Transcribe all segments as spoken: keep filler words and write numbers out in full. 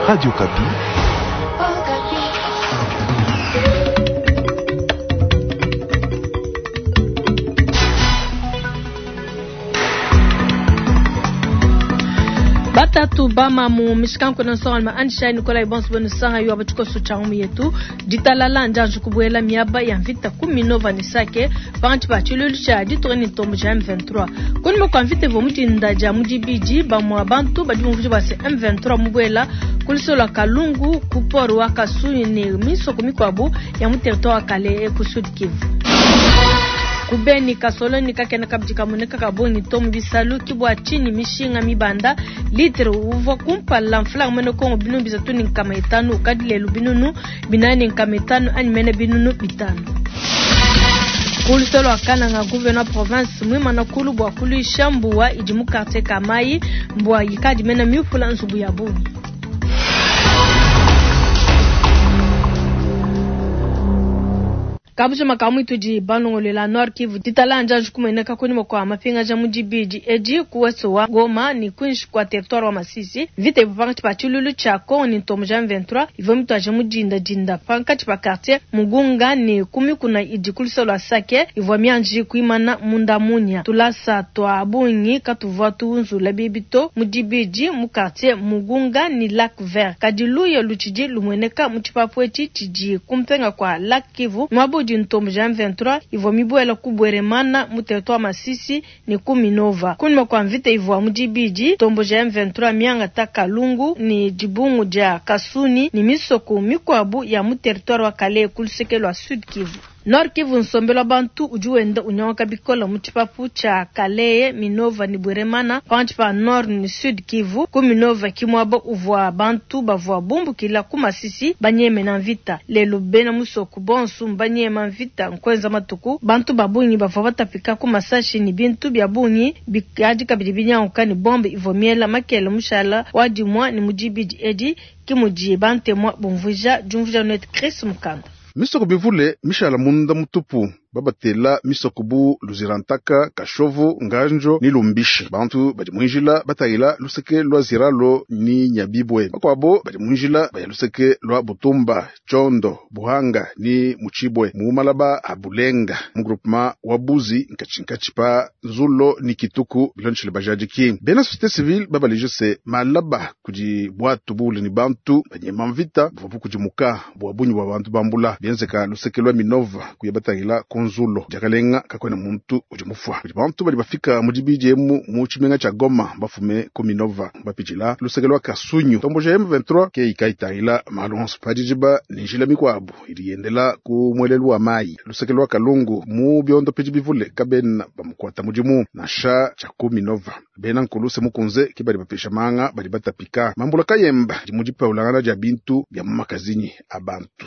Radio Okapi. Batatu bama mu mishikanko na nsonga Anisha Nikolai bonso benu sanga yo abatikoso cha umu yetu ditalala njanju kubuela miaba ya mvita kumi nova ni sake panchi pa chilulu cha ditori ni tombo cha M vingt-trois kuni kwa mvita vo mutinda ja mudibiji ba mwa bantu badi mvuji ba se M vingt-trois mubuela kulisola kalungu kuporu wa kasuyi ni misoko mikwabu ya mu territoire kale ku Sud Kivu. Kubeni kasoloni kakena kabjika muneka kabongi tomu bisalu kibwa chini mishinga mibanda litre uva kumpala mfla mwene Kongo binu bizatu ni nkama itanu ukadile binunu binani nkama itanu ani mene binunu bitano. Kulisolo akananga gouverneur province mwimana kulu bwa kulisha mbuwa ijimu quartier Kamayi mbuwa yikadi mena miufula nzubu ya bungi. Kabujo makamu ituji balongolela Nord Kivu ditala njanju kumeneka kuni kwa mapinga ja mujibiji eji kuweso wa Goma ni kwinshi kwa territoire wa Masisi vita ipanga chipa chululu cha Kongo ni ntomo ja M vingt-trois ivo mtu aje mujinda jinda panka chipa quartier Mugunga ni kumi kuna ijikuliso la Sake ivo mianji kuimana munda munya tulasa twa bungi katuvwa tuunzula bibito mujibiji mu quartier Mugunga ni Lac Vert kadiluye luchiji lumweneka muchipapwechi chiji kumpenga kwa Lac Kivu mwabu ntombo ja M vingt-trois ivo mibuela kubweremana mu territoire Masisi ni kumi nova kunima kwa mvita ivo mujibiji tombo ja M vingt-trois mianga takalungu ni jibungu ja Kasuni ni misoko mikwabu ya mu territoire wa Kale kulusekelo wa Sud Kivu. Nord Kivu nsombelo bantu ujuenda unyonga bikola muchipapu cha Kaleye Minova ni Bweremana panchi pa Nord ni Sud Kivu ku Minova kimwabo uvwa bantu bavwa bumbukila ku Masisi banyeme na mvita lelo bena musoko bonsu mbanyema mvita nkwenza matuku bantu babunyi bavwa batapika ku masashi ni bintu bya bunyi bikaji kabidi binyanguka ni bombe ivomiela makele mushala wadimwa ni mujibiji edi kimuji bantemwa bumvuja jumvuja net Chris Mukanda. Misoko bivule mishala munda mutupu babatela misoko bu luzirantaka kashovu nganjo ni lumbishi bantu badi mwinjila batayila luseke lwa ziralo ni nyabibwe bakwabo badi mwinjila baya luseke lwa butumba chondo buhanga ni muchibwe mumalaba abulenga mu groupement wa buzi nkachinkachi pa nzulo ni kituku bilonchile bajadiki bena société civile babalije se malaba kudi bwatu bule ni bantu banyema mvita buvapu kudimuka bwa bunyi bwa bantu bambula bienzeka luseke lwa minova kuya batayila nzulo jakalenga kakwena muntu ujimufwa kudi bantu bali bafika mujibiji emu mu chimenga cha Goma bafume ku Minova bapijila luseke lwa Kasunyu tombo ja M vingt-trois ke ikaitayila malonso pajijiba ni njila mikwabu iliyendela ku mwelelu wa mai luseke lwa Kalungu mu byondo piji bivule kabena bamukwata mujimu na sha cha ku Minova bena nkuluse mukunze kibali bapisha manga bali batapika mambula kayemba jimujipa ulangana ja bintu bya mumakazinyi abantu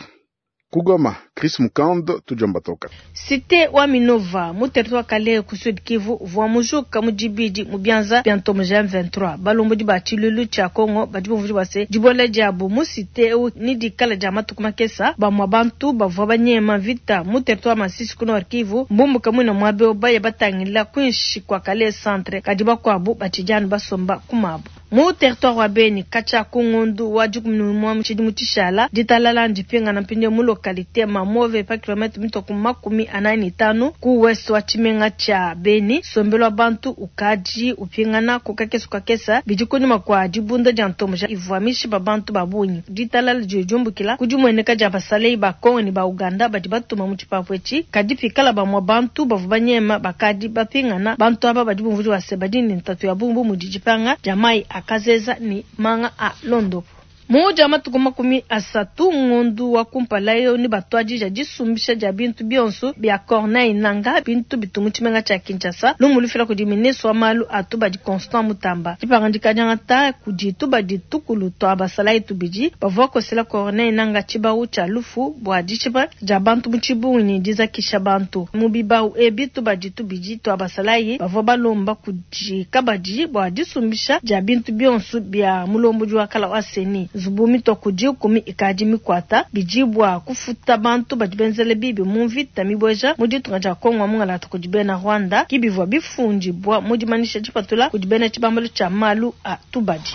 Kugoma, Chris Mukando, tujamba toka. Cité wa Minova, mu territoire Kale ku Sud Kivu, vwa mujuka mujibiji mubianza bientôt mu M vingt-trois. Balombo di ba chilulu cha Kongo, badi bumvuji base dibola jabu mu cité u ni dikala ja matuku makesa, ba mwa bantu bavwa banyema vita mu territoire Masisi ku Nord Kivu, mbumbu kamwe mwabe obaya batangila kwinshi kwa Kale centre, kadiba kwabu batijana basomba kumabu. Mu territoire wa Beni, kacha kungundu wa jukumnu mwa mchidi mutishala, ditalala ndipinga na mpinyo mu localité Mamove pa kilomètre mitoku makumi anani tano ku west wa chimenga cha Beni, sombelwa bantu ukaji upingana kukakesu kakesa bijikunyuma kwa dibunda ja ntomo ja ivwamishi ba bantu babunyi. Ditalala jujumbukila kujumweneka ja basalei ba Kongo ni ba Uganda badi batuma mu chipapwechi kadipikala ba mwa bantu bavubanyema bakadi bapingana bantu aba badi bumvuji wa sebadini ntatu ya bumbu mu dijipanga jamai akazeza ni manga a Londo. Muja matuku makumi asatu ngondu wa kumpala yo ni batwaji ja disumbisha ja bintu bionso bya Corneille Nanga bintu bitumu chimenga cha Kinshasa lumulufila kudi ministre wa malu atuba di Constant Mutamba dipangandika jangata kudi tuba di tukulu twa basala itubiji bavua kosela Corneille Nanga chibau cha lufu bwa dichiba ja bantu muchibunyi dizakisha bantu mubibau ebi tuba di tubiji twa basala bavua balomba kudi kabadi bwa disumbisha ja bintu bionso bya mulombo jwa kala wa seni zubumi tokuji kumi ikadi mikwata bijibwa kufuta bantu badibenzele bibi mu mvita mibweja mu ditunga dia Kongo mungala kudibena Rwanda kibivwa bifunjibwa mu dimanisha dipatula kudibena tshibambalo tshia malu a tubadi.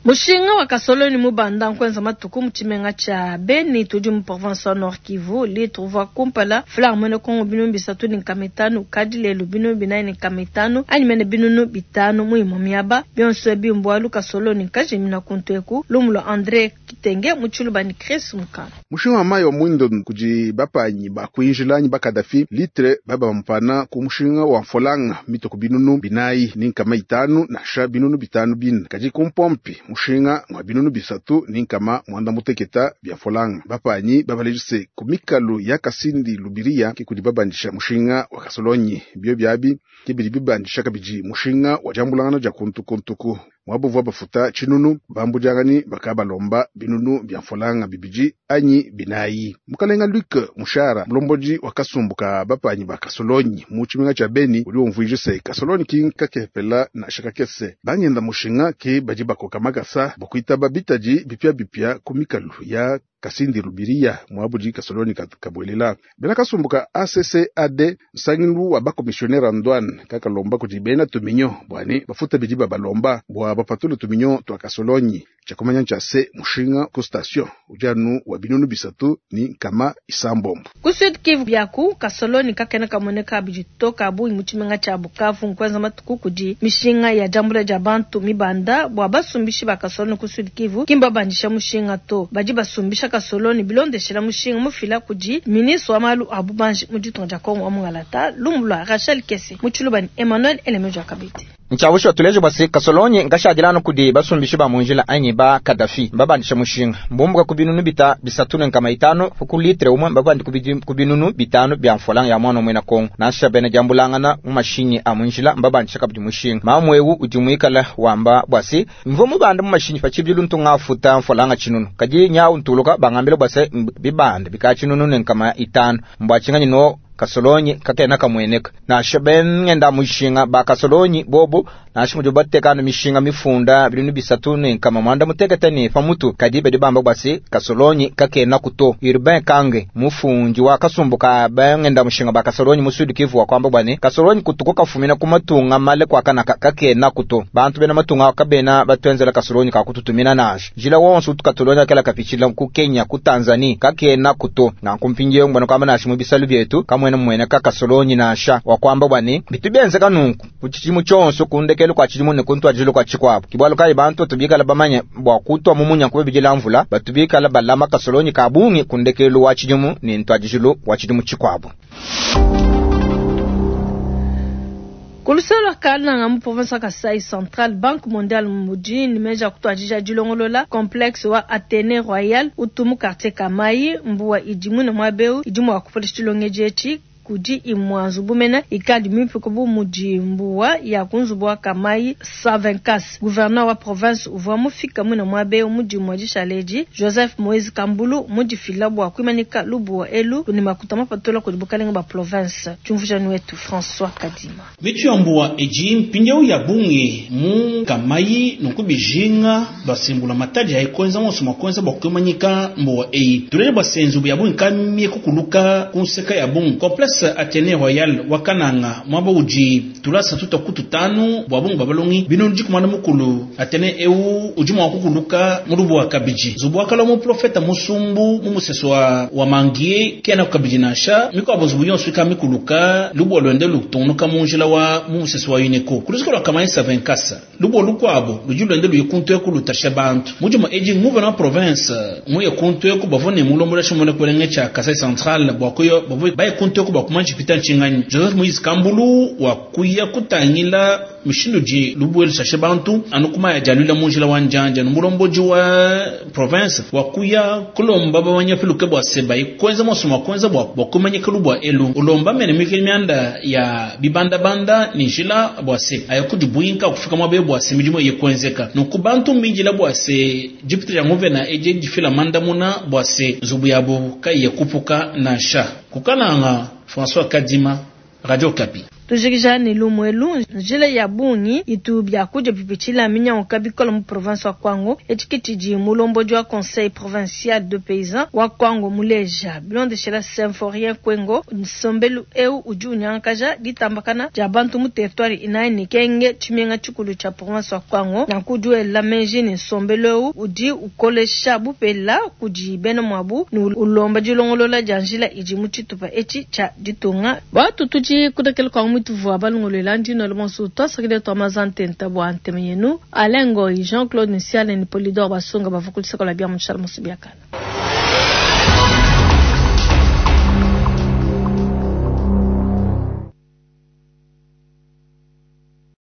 Mushinga wa kasoloni mubanda nkwenza matuku mu tshimenga tshia Beni tudi mu province wa Nord Kivu litre uvua kumpala franc mwene Kongo binunu bisatu ne nkama itanu kadi lelu binunu binayi ne nkama itanu anyi mene binunu bitanu mu imue miaba bionso ebi mbualu kasoloni kajimina kuntu eku lumu lua Andre Kitenge mu tshiluba ni Chris Mukana. Mushinga wa mayi wa mwindo kudi bapanyi bakuinjila anyi bakadafi litre baba bampana ku mushinga wa mfolanga mitoko binunu binayi ni nkama itanu nasha binunu bitanu bine kadi ku mpompi mushinga mwa binunu bisatu ni nkama mwanda muteketa bya mfolanga bapanyi babalejise ku mikalu ya Kasindi Lubiria ke kudi babandisha mushinga wa kasolonyi bio byabi ke bidi bibandisha kabidi mushinga wa jambulangana ja kuntukuntuku mwabuvua bafuta tshinunu bambujangani bakabalomba binunu bya mfolanga bibidi anyi binayi. Mukalenga Luc Mushara mulombodi wa kasumbu ka bapanyi ba kasolonyi mu tshimenga tshia Beni udi umvuija se kasolonyi ki nkakepela na shakakese bangenda mushinga ke badi bakoka makasa bakuitaba bitadi bipya bipya ku mikalu ya Kasindi Lubiria mwabudi kasoloni kabwelela bena kasumbu ka A C C A D nsangilu wa bakomissionnaire en douane kakalomba kudi bena tuminyo bwani bafuta bidi babalomba bwa bapatule tuminyo twa kasolonyi chakumanya ncha se mushinga ku station ujanu wa binunu bisatu ni nkama isambombo. Ku Sud Kivu byaku kasoloni kakena kamoneka bijitoka bungi mu tshimenga tshia Bukavu nkwenza matuku kudi mishinga ya jambula ja bantu mibanda bwa basumbishi ba kasoloni ku Sud Kivu kimba bandisha mushinga to badi basumbisha kasoloni bilondeshela mushinga mufila kudi ministre wa malu a bubanji mu ditunga dia Kongo wa Mungalata lumu lua Rachel Kese mu tshiluba ni Emmanuel Elemejo Akabete. Nchawusho tuleje bwase kasolonyi ngashadilano kudi basumbishi ba munjila anyi ba Kadafi mbabandisha mushinga mbumbuka ku binunu bita bisatu ne nkama itanu ku litre umwe mbabandi ku binunu bitanu bya mfolanga ya mwana mwena Kongo nasha bene jambulangana mu mashinyi a munjila mbabandisha kabidi mushinga mamwewu udi mwikala wamba bwase mvo mubanda mu mashinyi pachibilu ntunga futa mfolanga chinunu kaji nyawu ntuluka bangambile bwase bibanda bikachinunu ne nkama itanu mbwachinganyi no kasolonyi kakena kamweneka nasha bengenda mushinga ba kasolonyi bobo nasha mujo batekana mishinga mifunda binunu bisatu ne nkama mwanda mutekete ne pamutu kadi bedi bamba basi kasolonyi kakena kuto Urbain Kange mufunji wa kasumbuka bengenda mushinga ba kasolonyi musudi Kivu wa kwamba bwane kasolonyi kutuko kafumina kumatunga male kwa kana kakena kuto bantu bena matunga kabena batwenzela kasolonyi kakututumina nasha jila wonso tukatolonya kala kapichila ku Kenya ku Tanzania kakena kuto na kumpingiye ngwana kwamba nasha mubisalu byetu kamwe mwene kakasolonyi nasha wakwamba bwane bitubenze kanunku kuchichimu chonso kundekelo kwa chidimu ne kuntu ajilo kwa chikwabo kibwalo kai bantu tubikala bamanye bwa kutwa mumunya kube bijila mvula batubikala balama kasolonyi kabungi kundekelo wa chidimu ne ntu ajilo wa chidimu chikwabo. Kulusolo kalanga mu province ya Kasai Central Banque Mondiale mujini meja kutwajija dilongolola complexe wa Athénée Royal utumu quartier Kamai mbuwa idimu na mwabeu idimu wa kupolesha dilongeje kudi imwanzu bumena ikadi mimpe bu mudi mbuwa ya kunzubu wa Kamai Savenkas gouverneur wa province uvua mufika mwina mwabe mudi mwadishaleji Joseph Moise Kambulu mudi fila bwa kwimanika lubuwa elu ni makuta mapatola kudi bukalenga ba province tumvujani wetu François Kadima mitu ya mbuwa eji mpindieu ya bungi mu Kamai nukubijinga basimbula mataji haikwenza monso makwenza bwa kwimanyika mbuwa eyi tulele basenzu ya bungi kamie kukuluka kunseka ya bungi complexe Athénée Royal wakananga mwaba uji tulasa tuta kutu tanu bwa bungu babalongi bino ndi kumana mukulu Athénée eu uji mwa kukuluka mulubu wa kabiji zubu wakala mu profeta musumbu mu museso wa, wa mangie kena kabiji nasha miko abozubu yonso mikuluka lubu lwende lutonuka munjila wa mu museso wa UNESCO kulusiko lwa Kamai Savenkasa lubu lukwabo luji lwende luyikuntu ekulutasha bantu mujuma eji nguvena wa province muye kuntu eku bavone mulombola shimone kulenge cha Kasai Central bwa kuyo bavo bayikuntu eku bakumanji pita nchinganyi Joseph Moise Kambulu wa kuya kutangila mishindu ji lubueli shashe bantu anukuma ya jalula munjila wa njanja numulomboji wa province wa kuya kulomba bawanya piluke bwa seba ikwenza mosoma kwenza bwa bwa kumanyika lubwa elu ulomba mene mikili mianda ya bibanda banda ni njila bwa se ayakudi buinka kufika mwabe bwa se midimo yekwenzeka nuku bantu minjila bwa se jipita ya nguvena eje jifila mandamuna bwa se zubu yabo kai yekupuka na sha kukananga François Kadima, Radio Kapi. Tujikija ne lumu elu, njila ya bungi itu biakudia bipitshila minyanguka bikola mu province wa Kwango. Etshi ke tshidi mulombodi wa conseil provincial de paysans wa Kwango muleja. Bilondeshela Symphorien Kwengo, nsombelu eu udi unyangakaja ditambakana dia bantu mu territoire inayi ne Kenge, tshimenga tshikulu tshia province wa Kwango. Nanku udi wela meji ne nsombelu eu udi ukolesha bupela kudi bena muabu ne ulomba dilongolola dia njila idi mu tshitupa etshi tshia ditunga. Batu tudi kudekela kwa mutuvua balongolola ndino le twasakile twa mazantenta bua nteme yenu Alain Ngoy, Jean-Claude Nsiale ne Polydor Basunga bavua ku luseke lua bia mu tshiala musu biakana.